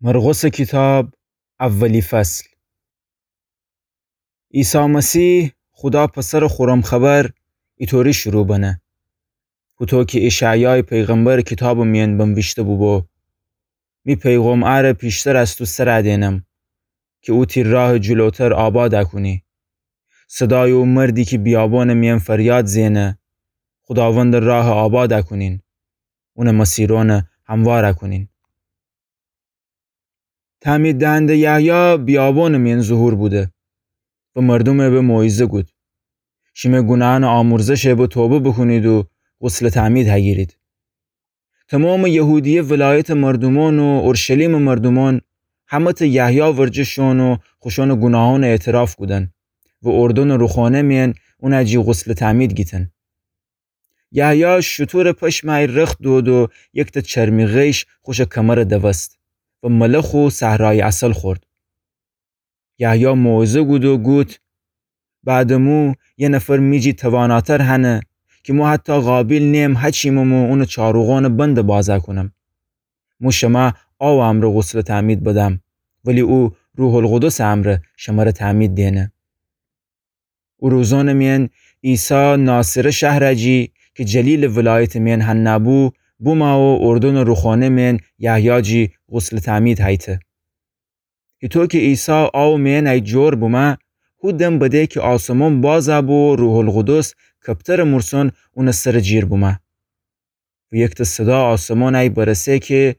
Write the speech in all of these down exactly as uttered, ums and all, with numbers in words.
مرقسٚ کیتاب، اولی فصل. عیسی مسیح، خودا پسرٚ خورم خبر، ایطوری شروع بنه: هوطو کی اشعیایٚ پیغمبرٚ کیتابٚ میأن بنویشته بوبو: می پیغام اره پیشتر از تو سر دینم، کی او تی راهٚ جلوتر آباد کونی. صدایٚ او مردی کی بیابانٚ میأن فریاد زئنه: خوداوندٚ راه آباد کونین، اونٚ مسیران هموار کونین. تعمید دهنده یحیی بیابانٚ میأن ظهور بوده و مردومٚ به موعظه گود: شیمه گوناهأنٚ آمرزشه به توبه بوکونید و غسلٚ تعمید هگیرید. تومامٚ یهودیه ولایتٚ مردومأن و اورشلیمٚ مردومأن همه ته یحیی ورجه شون و خوشأنٚ گوناهأن اعتراف کودن و اردنٚ روخانه میأن اونٚ جی غسلٚ تعمید گیتن. یحیی شوطورٚ پشمٚ ای رخت دود و یکته چرمی غیش خوشٚ کمر دوست و ملخ و صحرایی عسل خورد. یحیی موعظه گود و گود: بعدٚ مو یه نفر می جی تواناتر هنه، کی مو حتی قابیل نیم هچیمم و اونٚ چاروغانٚ بند باز کونم. مو شمه آوٚ امرأ غسلٚ تعمید بدم، ولی او روح‌القدسٚ امرأ شمره تعمید دینه. او روزأنٚ میأن عیسی ناصره شهرٚ جی، کی جلیلٚ ولایتٚ میأن هنه بو، بومه و اردنٚ روخانه میأن یحیی جی غسلٚ تعمید هیته. هیطو کی عیسی آوٚ میأن ای جور بومه، هو دم بده کی آسمان باز بو و روح‌القدس کپترٚ مورسان اونٚ سرٚ جیر بومه. و یکته صدا آسمانٚ ای برسه کی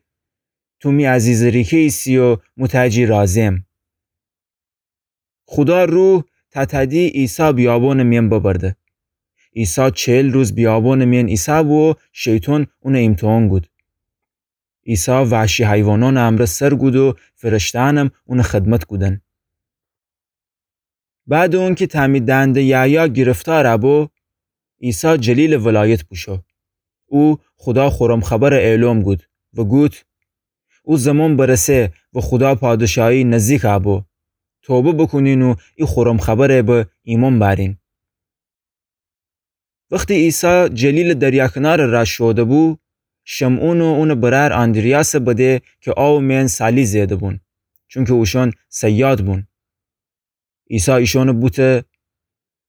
تو می عزیزٚ ریکه ایسی و مو تٚ جی راضیم. خودا روح تأتأدی عیسی بیابانٚ میأن ببرده. عیسی چهل روز بیابانٚ میأن ایسه بو و شیطان اونٚ ایمتحان گود. عیسی وحشی حیوانأنٚ امرأ سر گود و فرشته‌یأنم اونٚ خدمت گودن. بعدٚ اونکی تعمید دهنده یحیی گرفتار بو، عیسی جلیلٚ ولایت بوشو. او خودا خورم خبر اعلام گود و گود: او زمان برسه و خودا پادشاهی نزدیک بو. توبه بوکونین و ای خورم خبر به ایمأن بأرین. وختی عیسی جلیلٚ دریا کنار رأ شوده بو، شمعون و اونٚ برأر آندریاس بده کی آوٚ میأن سالی زئده بون، چونکی اوشأن صیاد بون. عیسی ایشأن بوته: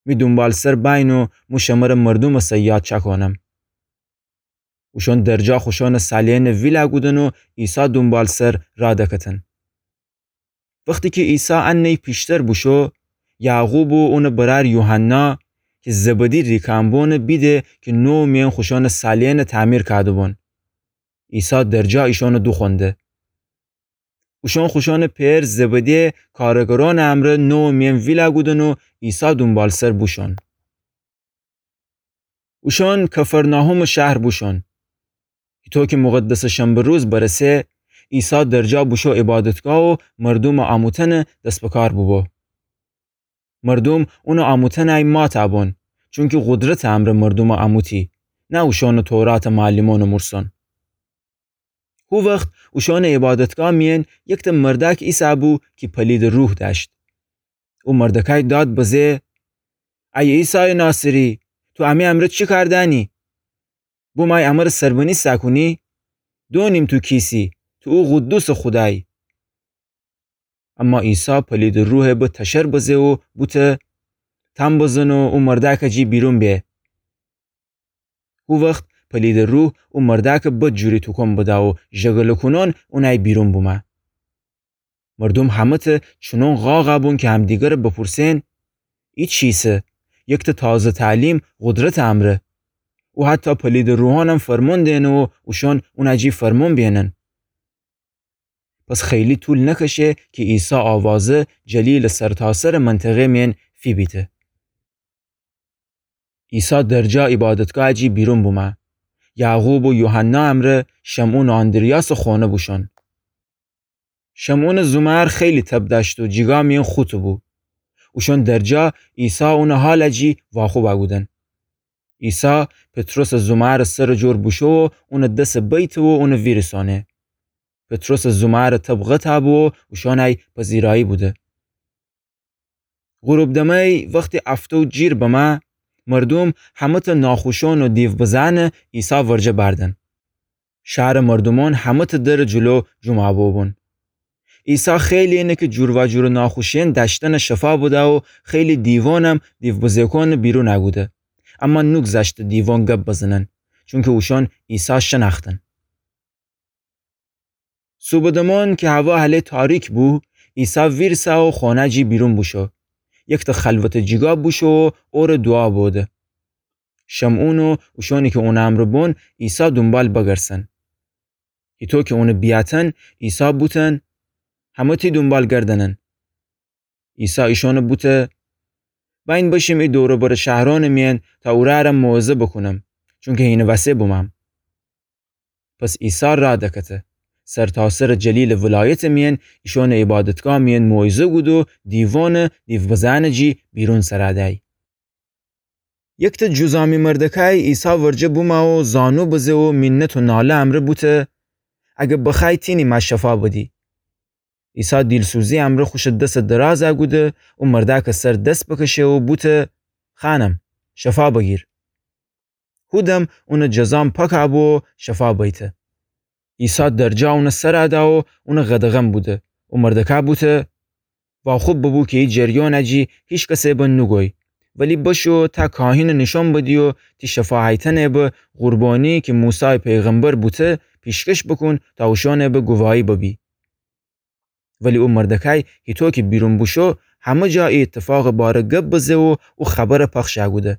می دونبالسر بأیین و مو شمره مردومٚ صیاد چأکانم. اوشأن درجا خوشأنٚ سالی‌یأن ویل کودن و عیسی دونبالسر رأ دکتن. وختی کی عیسی انه‌یی پیشتر بوشو، یعقوب و اونٚ برأر یوحنا کی زبدی ریکأن بون بیده کی نووٚ میأن خوشأنٚ سالی‌یأن تعمیر کوده‌بون. عیسی درجا ایشأن دوخوأنده. اوشأن خوشأنٚ پئر زبدی کارگرأنٚ امرأ نووٚ میأن ویل کودن و عیسی دونبالسر بوشون. اوشأن کفرناحومٚ شهر بوشون. هیطو کی مقدسٚ شنبه روز برسه، عیسی درجا بوشو عبادتگاه و مردومٚ آموتأنٚ دس بکار بوبو. مردوم اونٚ آموتأنٚ ای مات بون، چونکی قدرتٚ امرأ مردوم آموتی، نه اوشأنٚ توراتٚ معلمأنٚ مورسون. هو وخت اوشأنٚ عبادتگاه میأن یکته مردأک ایسه‌بو کی پلیدٚ روح دأشت. او مردأکأی داد بزه: ای عیسایٚ ناصری، تو امی امرأ چی کار دأنی؟ بومأی امرأ سربنی ساکونی؟ دونیم تو کیسی، تو او قدوسٚ خودایی. اما عیسی پلیدٚ روح به تشر بزه و بوته: تأن بزن و او مردأکٚ جی بیرون به. هو وخت پلیدٚ روح او مردأکٚ بد جوری توکن بده و ژگلٚ کونان اونأی بیرون بومه. مردوم همه‌ته چونان قاقَ بون کی همدیگرٚ بپورسئن: ای چیسه؟ یکته تازه تعلیم قدرتٚ امرأ. او حتی پلیدٚ روحانم فرمون دئنه و اوشان اونٚ جی فرمون بیئنن. پس خیلی طول نکشه کی عیسی آوازه جلیلٚ سرتاسرٚ منطقه مئن فیبیته. عیسی درجا عیبادتگاهٚ جی بیرون بومه. یعقوب و یوحنا امرأ شمعون و آندریاسٚ خانه بوشون. شمعونٚ زومأر خیلی تب دأشت و جیگا مئن خوطه بو. اوشان درجا عیسی اونٚ حالٚ جی واخوب کودن. عیسی پطرسٚ زومأرٚ سرٚ جور بوشو و اونٚ دسٚ بیته و اونٚ ویریسانه. پطرسٚ زومأرٚ تب قطع بو و اوشان ای پذیرایی بوده. غروب دمه‌ی وختی افتو جیر بمه، مردوم همه‌ته ناخوشان و دیو بزأنٚ عیسی ورجه بأردن. شهرٚ مردومأن همه‌ته درٚ جلو جمعه بوبون. عیسی خیلی اینه کی جورواجور ناخوشی‌یأن دأشتنٚ شفا بدأ و خیلی دیوانم دیوبزه‌کانٚ بیرون اَ کوده. اما نوگذشته دیوان گب بزنن، چونکی اوشأن عیسی شنأختن. صوبٚ دمان کی هوا هله تاریک بو، عیسی ویرسه و خانه جی بیرون بوشو. یکته خلوتٚ جیگا بوشو و اوره دوعا بوده. شمعون و اوشأنی کی اونٚ امرأ بون عیسی دونبال بگرسن. هیتو کی اونٚ بیأتن، عیسی بوتن: همه تی دونبال گردنن. عیسی ایشأنه بوته: بأین بشیم ای دور و برٚ شهرأنٚ میأن تا اورأره موعظه بوکونم، چونکی هینٚ وسه بومم. پس عیسی رأ دکته. سرتاسرٚ جلیلٚ ولایتٚ میأن ایشأنٚ عیبادتگاه میأن موعظه کود و دیوانٚ دیوبزه‌یأنٚ جی بیرون سرَ دأی. یکته جذامی مردکای عیسی ورجه بومه و زانو بزه و مینت و ناله امرأ بوته: اگر بخوأیی تینی مه شفا بدی. عیسی دیلسوزی امرأ خوشٚ دسٚ درازَ کوده و مردأکٚ سر دس بکشه و بوته: خانم، شفا بگیر. هودم اونٚ جذام پاکَ بو و شفا بیته. عیسی درجا اونٚ سرَ دأ و اونٚ قدغن بوده و مردکَ بوته: واخوب ببو کی ای جریانٚ جی هیچ کسٚ به نوگوی، ولی بشو تا کاهینٚ نیشأن بدی و تی شفاهیتأنٚ به قربانی کی موسی پیغمبر بوته پیشکش بوکون تا اوشأنٚ به گواهی ببی. ولی او مردکای هیتو کی بیرون بوشو، همه جا ای ایتفاقٚ باره گب بزه و او خبرَ پخشَ کوده.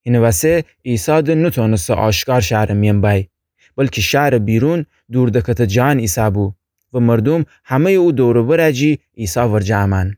هینٚ وسه عیسی د نوتانسته آشکار شهرٚ میأن بأی، بلکی شهرٚ بیرون دور دکته جان ایسه بو و مردوم همه‌یٚ او دور و برَ جی عیسی ورجه امأن.